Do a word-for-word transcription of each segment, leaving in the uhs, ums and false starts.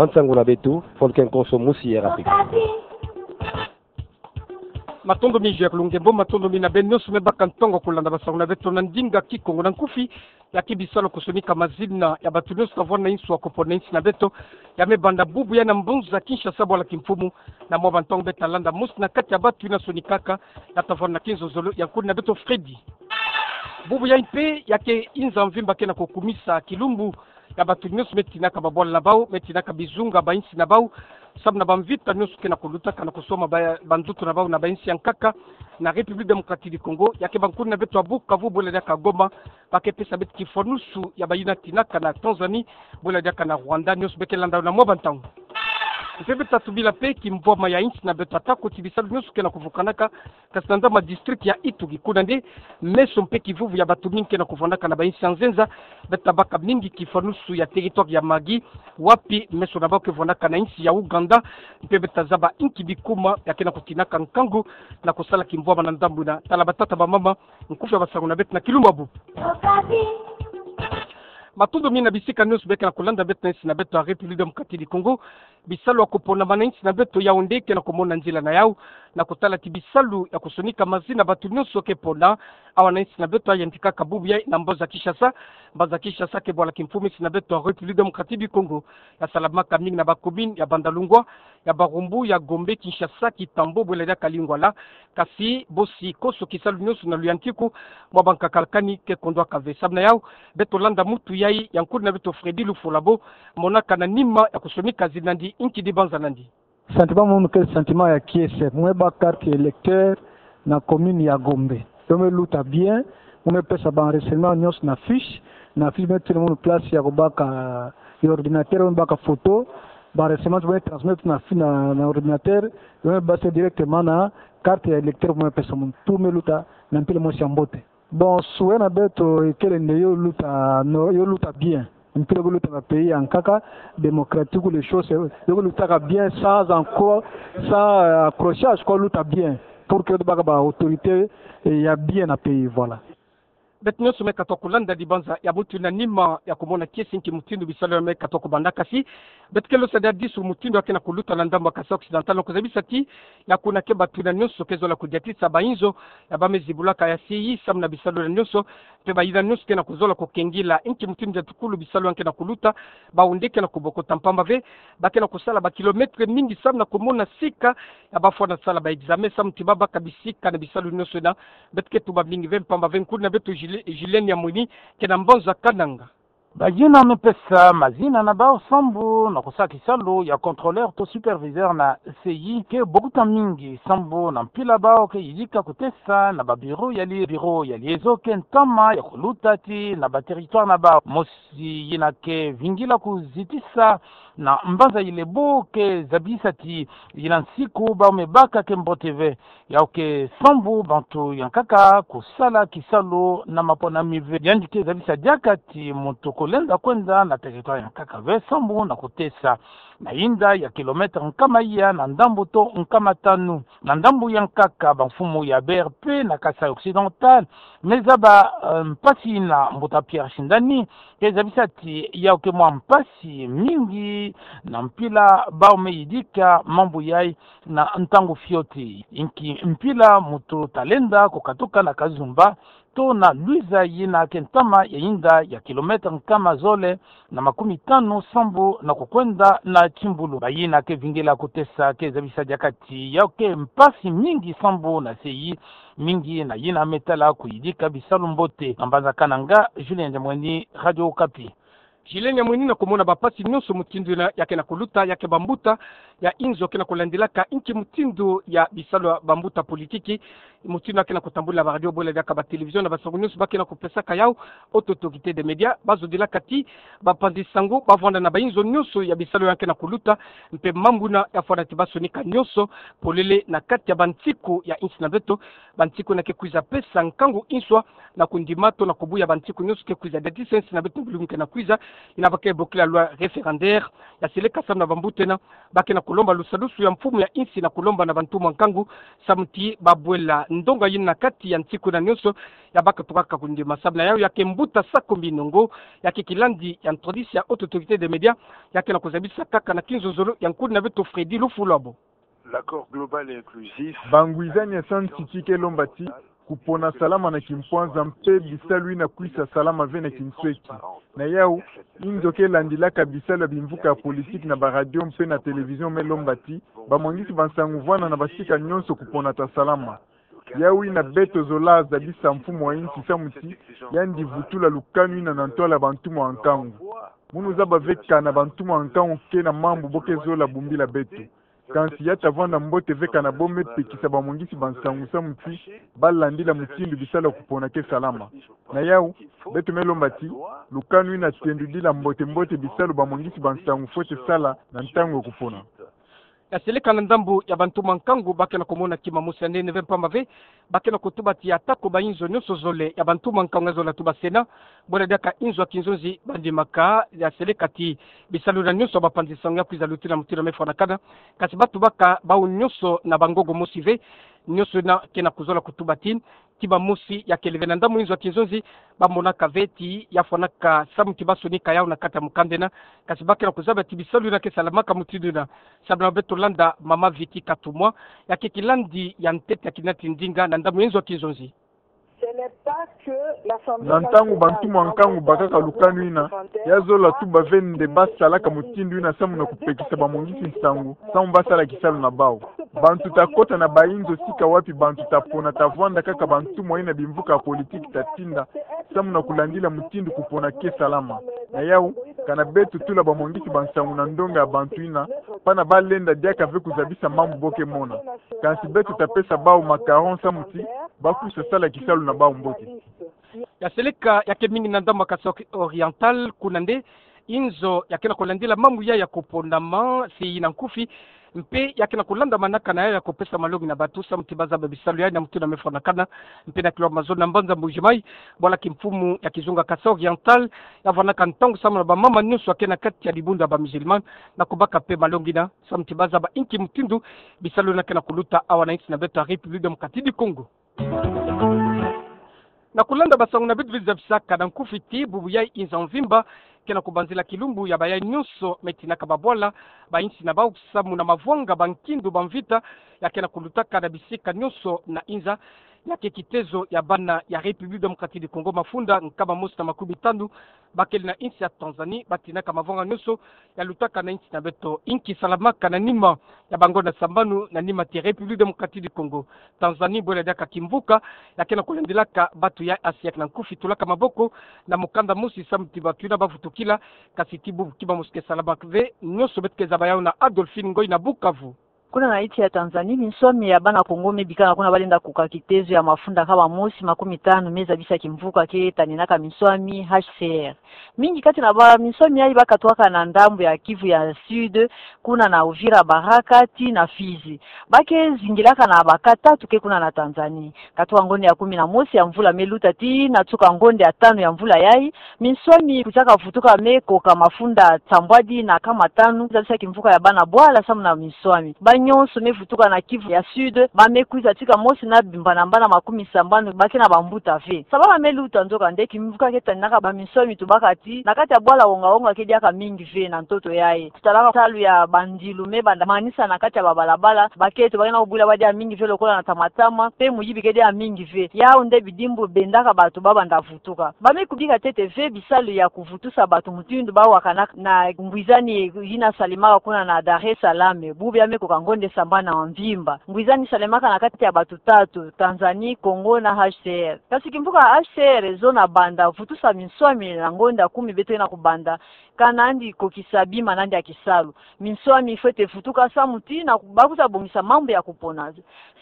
Nsangu na beto, Folken Konso, Musi, R T. Matondo mingi Jacques Lungembo, matondo mingi na beno nyonso me baka ntongo kolanda basangu na beto na ndinga Kikongo. Na nkufi, ya ke bisalu ya kosonika mazina ya bato nyonso tavwanda na insu ya kopo na insi na beto, ya me banda bubu ya na mbanza Kinshasa bwala kimfumu. Na mwa bantongo beta landa mosi na kati ya bato yina sonikaka, ya tavwanda na kinzozolo ya nkuni na beto Freddy. Bubu yayi mpe ya ke inza mvimba ke na kokumisa kilumbu ya bato nyonso me tinaka babwala na bau, me tinaka bizunga ba insi na bau, samu na bamvita nyonso ke na kolutaka na koswama ba, banzoto na bau na ba insi ya nkaka na République Démocratique du Congo, ya ke bankuni na beto ya Bukavu, bwela diaka Goma, ba ke pesa beto kifwanusu ya bayina tinaka na Tanzanie, bwela diaka na Rwanda, nyonso be ke landa na mwa bantangu. Mpe beta tubila mpe kimvwama ya insi na beto, atako ti bisalu nyonso ke na kuvukanaka, kasi na ndambu ya district ya Ituri, kuna nde meso mpe kivuvu ya bato mingi ke na kuvwandaka na ba insi ya nzenza, beta baka mingi kifwanusu ya territoire ya Magui, wapi meso na bau ke vwandaka na insi ya Ouganda, mpe beta zaba inki bikuma ya ke na kutinaka nkangu na kusala kimvwama na ndambu yina. Tala batata bamama, nkufi ya basangu na beto na kilumbu ya bubu. Matondo mingi na bisika nyonso be ke na kulanda beto na insi na beto ya République Démocratique du Congo. Bisalu ya koponama na insi na beto yau nde ke na kumona nzila na yau, na kutala ti bisalu ya kosonika mazina bato nyonso ke pona awa na insi na beto ya yantikaka bubu yayi na mbanza Kinshasa. Mbanza Kinshasa ke bwala kimfumu insi na beto ya République Démocratique du Congo. Ya salamaka mingi na ba commune ya Bandalungwa, ya Barumbu, ya Gombe, Kinshasa, Kitambo, bwela diaka Lingwala. Kasi bosi konso kisalu nyonso na luyantiku, mwa bankakalakani ke kondwaka ve. Samu na yau, beto landa muntu yayi ya nkuni na beto Freddy Lufolabo, monaka na nima ya kosonika zina na ndi, inki dibanza na ndi? Sentiment mono ke sentiment ya kiese. Mwe baka carte électeur na commune ya Gombe. Yo me luta bien, yo me pesa ba renseignement nyonso na fiche, na fiche me tini mono place ya kobaka, ya ordinateur, yo me baka photo, ba renseignement yo me transmettre na fi-, na, na ordinateur, yo me basa directement na carte ya électeur, yo me pesa mono. Tout me luta na mpila mosi ya mbote. Bon, souhait na beto ikele nde yo luta, no, yo luta bien. Mpila ko luta na pays ya nkaka, démocratique, les choses, yo ko lutaka bien, sans encore, sans, euh, accrochage, ko luta bien. Pour que baka ba autorité, eh, ya bien na pays, voilà. Beto nyonso me katuka kulanda dibanza ya muntu na nima ya kumona kiese nki mutindu bisalu ya me katuka kubanda, kasi beto ke losa diadisu mutindu ya ke na kuluta na ndambu ya Kasaï Occidental, na kuzabisa ti ya kuna ke bato yina nyonso ke zola kudiatisa ba inzo ya ba me zibulaka ya C I I samu na bisalu yina nyonso, mpe bayina nyonso ke na kuzola kukengila inki mutindu ya tukulu bisalu ya ke na kuluta, bau nde ke na kubokota mpamba ve, ba ke na kusala ba kilomètre mingi samu na kumona sika ya ba fwana sala ba examen samu ti ba baka bisika na bisalu nyonso yina. Beto ke tuba mingi ve mpamba ve nkuni na beto Juli-, Julienne Yamwini ke na mbanza Kananga. Bayina me pesa mazina na bau sambu na kusala kisalu ya contrôleur to superviseur na C I I ke bokota mingi sambu na mpila bau ke yidika kutesa na ba bureau ya li-, bureau ya liaison ke ntama ya kuluta ti na ba territoire na bau. Mosi yina ke vingila kuzitisa na mbanza Ilebo ke zabisa ti yina nsiku bau me baka ke mbote ve. Yau ke sambu bantu ya nkaka kusala kisalu na maponami ve. Yandi ke zabisa diaka ti muntu ko lenda kwenda na territoire ya nkaka ve sambu na kutesa na inda ya kilomètre nkama iya na ndambu to nkama tanu. Na ndambu ya nkaka, ba mfumu ya B R P na Kasaï Occidental me zaba, eh, mpasi na mbuta Pierre Shindani ke zabisa ti yau ke mwa mpasi mingi na mpila bau me yidika mambu yayi na ntangu fioti. Inki mpila muntu ta lenda kukatuka na Kazumba to na Luiza yina ke ntama ya inda ya kilomètre nkama zole na makumi tanu sambu na kukwenda na Kimbulu. Bayina ke vingila kutesa ke zabisa diaka ti yau ke mpasi mingi sambu na C I I mingi na yina me tala kuyidika bisalu mbote. Na mbanza Kananga, Julien Diamwani, Radio Okapi. Julienne Yamwini, na kumona ba mpasi nyonso mutindu yina ya ke na kuluta, ya ke bambuta ya inzo ke na kulandilaka inki mutindu ya bisalu ya bambuta politiki, mutindu ya ke na kutambula ba radio, bwela diaka ba télévision na basangu nyonso ba ke na kupesaka yau, haute autorité des médias, ba zodilaka ti bapanzi sangu ba vwanda na ba inzo nyonso ya bisalu ya ke na kuluta, mpe mambu yina ya fwana ti ba sonika nyonso polele na kati ya bansiku ya insi na beto, bansiku yina ke kwiza pesa nkangu nswa na kundima to na kubuya bansiku nyonso ke kwiza, diatisa insi na beto na bilumbu ke na kwiza, yina ba ke bokila loi référendaire. Ya seleka samu na bambuta yina ba ke na kulomba lusadusu ya mfumu ya insi na kulomba na bantumwa nkangu samu ti babwela ndonga yina na kati ya nsiku yina nyonso, ya baka tukaka kundima. Samu na yau ya ke mbuta Sakombi Nongo, ya ke kilandi ya ntwadisi ya Haute Autorité des Médias, ya ke na kuzabisa kaka na kinzonzolo ya nkuni na beto Freddy Lufulwabo. L'accord global et inclusif. Bangwizani ya santi ti ke lomba ti kupona salama na kimpwanza mpe bisalu yina kwisa salama ve na kinsweki. Na yau, inzo ke landilaka bisalu ya bimvuka ya politiki na baradio mpe na télévision me lomba ti bamwangisi bansangu vwanda na basika nyonso kupona ta salama. Yau yina beto zola zabisa mfumu wa insi samu ti yandi vutula lukanu yina na ntwala ya bantumwa nkangu. Munu zaba ve kana bantumwa nkangu ke na mambu bo ke zola bumbila beto. Kansi ya ta vwanda mbote ve kana bo me pekisa bamwangisi bansangu samu ti balandila mutindu bisalu ya kupona ke salama. Na yau, beto me lomba ti lukanu yina tendudila mbote-mbote bisalu bamwangisi bansangu fwete sala na ntangu ya kupona. Ya seleka na ndambu ya bantumwa nkangu ba ke na kumona kima mosi ya nene ve mpamba ve, ba ke na kutuba ti atako ba inzo nyonso zole ya bantumwa nkangu ya zola tuba sena, bwela diaka inzo ya kinzonzi bandimaka, ya seleka ti bisalu yina nyonso ya bapanzi nsangu ya kwiza lutila mutindu me fwanakana, kansi ba tubaka bawu nyonso na bangogo mosi ve, nyonso yina ke na kuzola kutuba ti kima mosi ya kele ve na ndambu inzo ya kinzonzi, ba monaka ve ti ya fwanaka samu ti ba sonika yau na kati ya mukanda yina, kansi ba ke na kuzaba ti bisalu yina ke salamaka mutindu yina. Samu na beto landa Mama Vicky Katumwa, ya ke kilandi ya ntete ya kina ti ndinga na ndambu inzo ya kinzonzi. Na ntangu bantumwa nkangu bakaka lukanu yina, ya zola tuba ve nde ba salaka mutindu yina samu na kupekisa bamwangisi nsangu samu ba sala kisalu na bawu. Bantu ta kota na ba inzo sika wapi bantu ta pona ta vwanda kaka bantumwa yina bimvuka ya politiki ta tinda samu na kulandila mutindu kupona ke salama. Na yau, kana beto tula bamwangisi bansangu na ndonga ya bantu yina, pana ba lenda diaka ve kuzabisa mambu bo ke mona. Kansi beto ta pesa bawu macaron samu ti ba kwisa sala kisalu na bawu mbote. Ya seleka ya ke mingi na ndambu ya Kasaï Oriental, kuna nde inzo ya ke na kulandila mambu ya ya kuponama, si yina nkufi, mpe ya ke na kulandamanaka na ya ya kupesa malongi na bantu samu ti ba zaba bisalu ya na mutindu me fwanakana, mpe na kilomètre mazono na mbanza Mbuji-Mayi, bwala kimfumu ya kizunga Kasaï Oriental, ya vwanaka ntangu samu na bamama nyonso ya ke na kati ya dibundu ya ba musulman, na kubaka mpe malongi yina, samu ti ba zaba inki mutindu bisalu yina ke na kuluta awa na insi na beto ya République Démocratique du Congo. Na kulanda basangu na beto vizabisaka na nkufi ti bubu yayi inza mvimba ke na kubanzila kilumbu ya bayayi nyonso me tinaka babwala ba insi na bawu samu na mavwanga ba nkindu ba mvita ya ke na kulutaka na bisika nyonso na inza. Ya ke kitezo ya bana ya République Démocratique du Congo, mafunda nkama mosi na makumi tanu bakele na insi ya Tanzanie, ba tinaka mavwanga nyonso ya lutaka na insi na beto. Inki salamaka na nima ya bangonda sambanu na nima ti République Démocratique du Congo? Tanzanie, bwela diaka kimvuka ya ke na kulandilaka bato ya Asia. Na nkufi tulaka maboko na mukanda mosi samu ti bato yina ba vutukila, kansi ti bubu kima mosi ke salamaka ve. Nyonso beto ke zaba yawu na Adolphine Ngoyi na Bukavu. Kuna na insi ya Tanzanie, minswami ya bana Kongo me bikana kuna ba lenda kuka kitezo ya mafunda nkama mosi makumi tanu me zabisa kimvuka ke taninaka minswami H C R. Mingi kati na baminswami yayi ba katwaka na ndambu ya Kivu ya Sud, kuna na Uvira, Baraka, tii na Fizi. Ba ke zingilaka na ba cas tatu ke kuna na Tanzanie. Katuka ngonde ya kumi na mosi ya mvula me luta tii na tuka ngonde ya tanu ya mvula yayi, minswami kwiza ka vutuka me koka mafunda nsambwadi na nkama tanu, zabisa kimvuka ya bana bwala samu na minswami. Ba nyonso me vutuka na Kivu ya Sud, ba me kwiza tika mosi na bimbanambana makumi sambanu ba ke na bambuta ve. Samu ba me luta, nzokande kimvuka ke taninaka baminswami tubaka tii na kati ya bwala wonga-wonga ke diaka mingi ve na ntoto yayi. Tutalaka salu ya bandilu me banda manisa na kati ya babalabala, baketo ba ke na kubwila ba diaka mingi ve lokola na tamatama, mpe muyibi ke diaka mingi ve. Yawu nde bidimbu bendaka bato ba banda vutuka. Ba me kubika ntete ve bisalu ya kuvutusa bato mutindu ba wakanaka na ngwizani yina salemaka kuna na Dar es Salaam, bubu ya me koka ngonde sambanu na mvimba. Ngwizani salemaka na kati ya bato tatu, Tanzanie, Congo na H C R. Kansi kimvuka H C R ezo na banda vutusa minswami na ngonde ya kumi beto ke na kubanda, kana yandi kokisa bima na yandi ya kisalu. Minswami fwete vutuka samu ti na ba kwiza bongisa mambu ya kupona.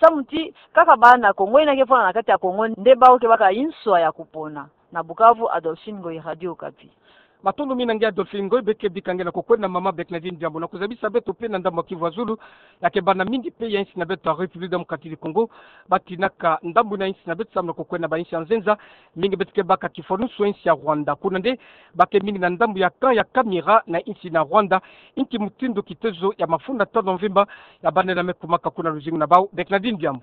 Samu ti kaka bana Kongo yina ke vwanda na kati ya Kongo nde bawu ke baka inswa ya kupona. Na Bukavu, Adolphine Ngoyi, Radio Okapi. Matondo mingi na nge Adolphine Ngoy, beke bika nge na kokwena mama Bernardine Diambu. Na kuzabisa beto mpe na ndambu ya Kivu ya Zulu, ya ke bana mingi mpe ya insi na beto ya République Démocratique du Congo, batinaka ndambu na insi na beto samu na kokwena ba insi ya nzenza, mingi beto ke baka kifwanusu ya insi ya Rwanda. Kuna nde, ba ke mingi na ndambu ya camp ya Kamira na insi na Rwanda, inki mutindu kitezo ya mafunda tanu ya mvimba ya bana yina me kumaka kuna luzingu na bau, Bernardine Diambu.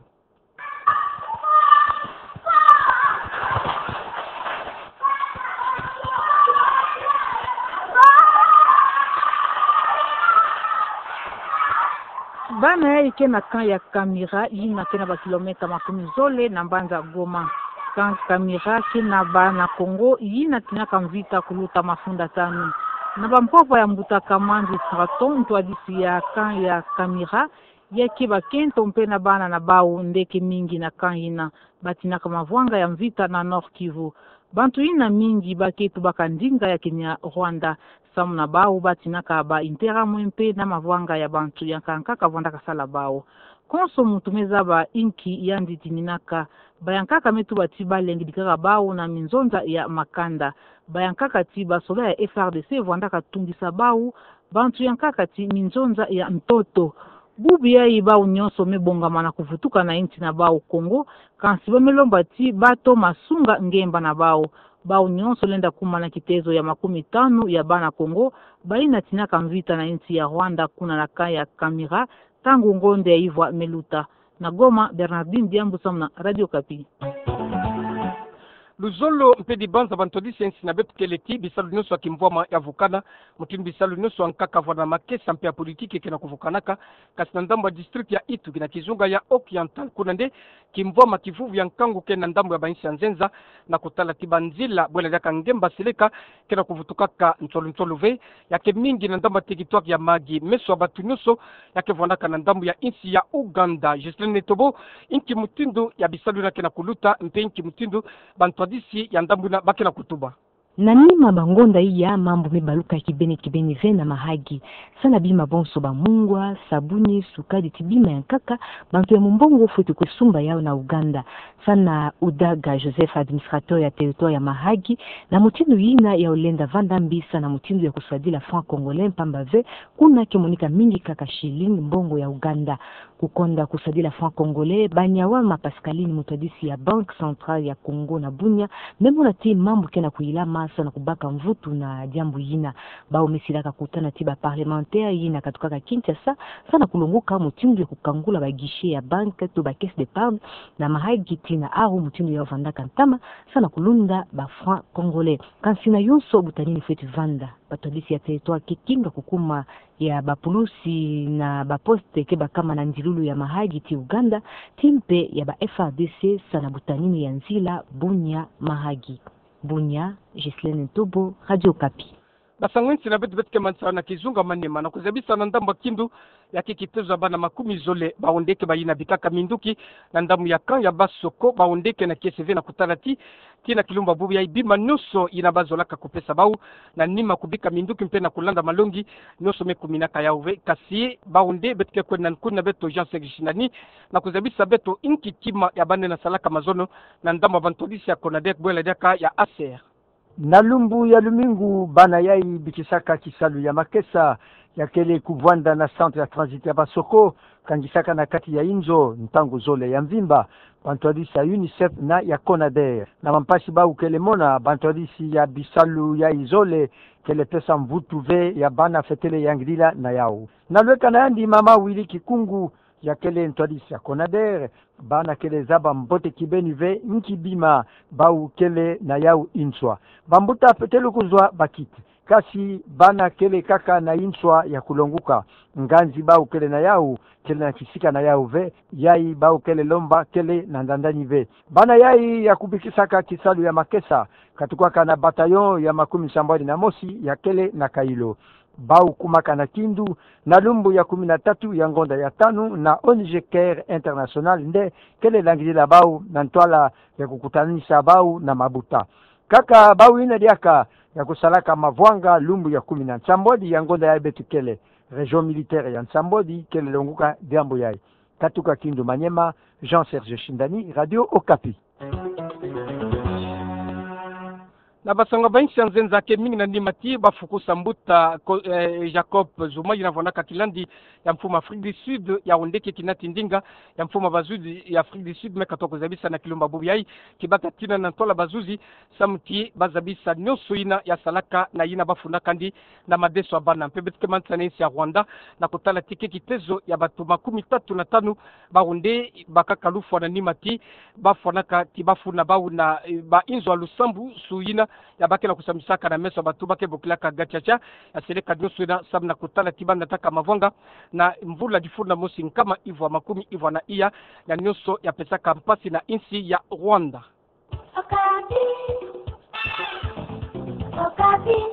Bana yayi ke na camp ya Kamira, yina ke na ba kilomètre makumi zole na mbanza Goma. Camp Kamira ke na bana Kongo yina tinaka mvita kuluta mafunda tanu. Na bampova ya mbuta Kamanzi Straton, ntwadisi ya camp ya Kamira, ya ke bakento mpe na bana na bau nde ke mingi na camp yina, batinaka mavwanga ya mvita na Nord-Kivu. Bantu yina mingi ba ke tubaka ndinga ya Kinyarwanda. Samu na bau batinaka ba Interahamwe mpe na mavwanga ya bantu ya nkaka nkaka vwandaka sala bau. Konso muntu me zaba inki yandi tininaka. Ba ya nkaka me tuba ti ba lengidikaka bau na minzonza ya makanda. Ba ya nkaka ti ba soda ya F R D C vwandaka tungisa bau, bantu ya nkaka ti minzonza ya ntoto. Bubu yayi bau nyonso me bongama na kuvutuka na insi na bau Kongo, kansi ba me lomba ti bato masunga ngemba na bau. Bau nyonso lenda kuma na kitezo ya makumi tanu ya bana Kongo, bayina tinaka mvita na insi ya Rwanda kuna na camp ya Kamira, ntangu ngonde ya ivwa me luta. Na Goma, Bernardine Diambu samu na Radio Okapi. Luzolo mpe dibanza ba ntwadisi ya insi na beto kele ti bisalu nyonso ya kimvwama ya vukana, mutindu bisalu nyonso ya nkaka vwanda na makesa mpe ya politiki ke na kuvukanaka, kansi na ndambu ya district ya Ituri na kizunga ya Oriental kuna nde, kimvwama kivuvu ya nkangu ke na ndambu ya ba insi ya nzenza, na kutala ti banzila bwela diaka ngemba seleka, ke na kuvutukaka nsolu nsolu ve, ya ke mingi na ndambu ya territoire ya Mahagi. Meso ya bato nyonso ya ke vwandaka na ndambu ya insi ya Ouganda. Justine Netobo, inki mutindu ya bisalu yina ke na kuluta, mpe inki mutindu ba ntwadisi ya ndambu yina ba ke na kutuba? Na nima ba ngonda iya mambu me baluka kibeni kibeni ve na Mahagi. Sa na bima bonso ba mungwa, sabuni, sukari ti bima ya nkaka, bantu ya mumbongo fweti kwe sumba yau na Ouganda. Sa na Udaga Joseph, administrateur ya territoire ya Mahagi, na mutindu yina yau lenda vanda mbi sa na mutindu ya kusadila franc congolais mpamba ve, kuna ke monika mingi kaka shilling, mbongo ya Ouganda. Kukonda kusadila franc congolais, Banyawama Pascaline, mutwadisi ya Banque Centrale ya Congo na Bunia, me mona ti mambu ke na kuyilama sa na kubaka mvutu na diambu yina. Bau me silaka kutana ti ba parlementaire yina katukaka Kinshasa, sa na kulongoka mutindu ya kukangula ba guichet ya banque to ba caisse d'épargne na Mahagi tii na Aru, mutindu yau vandaka ntama, sa na kulunda ba franc congolais. Kansi na yonso butanini fweti vanda. Ba ntwadisi ya territoire ke kinga kukuma ya ba pulusi na ba poste ke bakama na ndilulu ya Mahagi tii Ouganda, tii mpe ya ba F R D C sa na butanini ya nzila Bunia Mahagi. Bunia, Ghislaine Ntobo, Radio Okapi. Basango ya insi na beto beto ke manisala na kizunga Maniema, na kuzabisa na ndambu ya Kindu, ya ke kitezo ya bana makumi zole, bau nde ke bayina bikaka minduki na ndambu ya camp ya Basoko, bau nde ke na kiese ve na kutala ti, tii na kilumbu bubu yayi bima nyonso yina bazolaka kupesa bau na nima kubika minduki mpe na kulanda malongi, nyonso me kuminaka yau ve. Kansi bau nde beto ke kwenda na nkuna beto Jean Serge Shindani, na kuzabisa beto inki kima ya bana yina salaka mazono na ndambu ya ba ntwadisi ya CONADER bwela diaka ya A C R. Na lumbu ya lumingu, bana yayi bikisaka kisalu ya makesa ya kele kuvwanda na centre ya transit ya Basoko, kangisaka na kati ya inzo ntangu zole ya mvimba, ba ntwadisi ya UNICEF na ya CONADER. Na mampasi bau kele mona, ba ntwadisi ya bisalu yayi zole kele pesa mvutu ve ya bana fetele yangidila na yau. Na lweka na yandi, mama Willy Kikungu, ya kele ntwadisi ya CONADER, bana kele zaba mbote kibeni ve inki bima bau kele na yau inswa. Bambuta fetele kuzwa bakiti. Kansi bana kele kaka na inswa ya kulonguka. Nganzi bau kele na yau, kele na kisika na yau ve, yayi bau kele lomba kele na ndandani ve. Bana yayi ya kubikisaka kisalu ya makesa, katukaka na bataillon ya makumi sambwadi na mosi ya kele na Kailo. Bau kumaka na Kindu na lumbu ya kumi na tatu ya ngonda ya tanu na O N G Care International nde kele langidila bau na ntwala ya kukutanisa bau na mabuta. Kaka bau yina diaka ya kusalaka mavwanga lumbu ya kumi na nsambwadi ya ngonda yayi beto kele. Région militaire ya nsambwadi kele longuka diambu yayi. Katuka Kindu Maniema, Jean Serge Shindani, Radio Okapi. Na basango ba insi ya nzenza, ke mingi na nima ti bafukusa mbuta ko-, eh, Jacob Zuma, yina vwanaka kilandi ya mfumu Afrique du Sud, ya onde ke kina ti ndinga ya mfumu bazuzi ya Afrique du Sud, me katoka zabisa na kilumba bubu yayi, ki bata tina na ntwala bazuzi, samu ti bazabisa nionso yina ya salaka na yina bafunaka ndi na madeso ya bana. Mpe beto ke manisani na insi ya Rwanda, na kutala ti ke kitezo ya bato makumi tatu na tanu, ba onde bakaka lufwa na nima ti bafwanaka ti bafuna bawu na, eh, ba inzo ya lusambusu yina ya ba ke na kusambisaka na meso ya bato ba ke bokilaka gacaca, ya seleka nionso yina samu na kutala ti ba nataka mavwanga na mvula difulu na mosi nkama ivwa makumi ivwa na iya, ya nionso ya pesaka mpasi na insi ya Rwanda. Okapi. Okapi.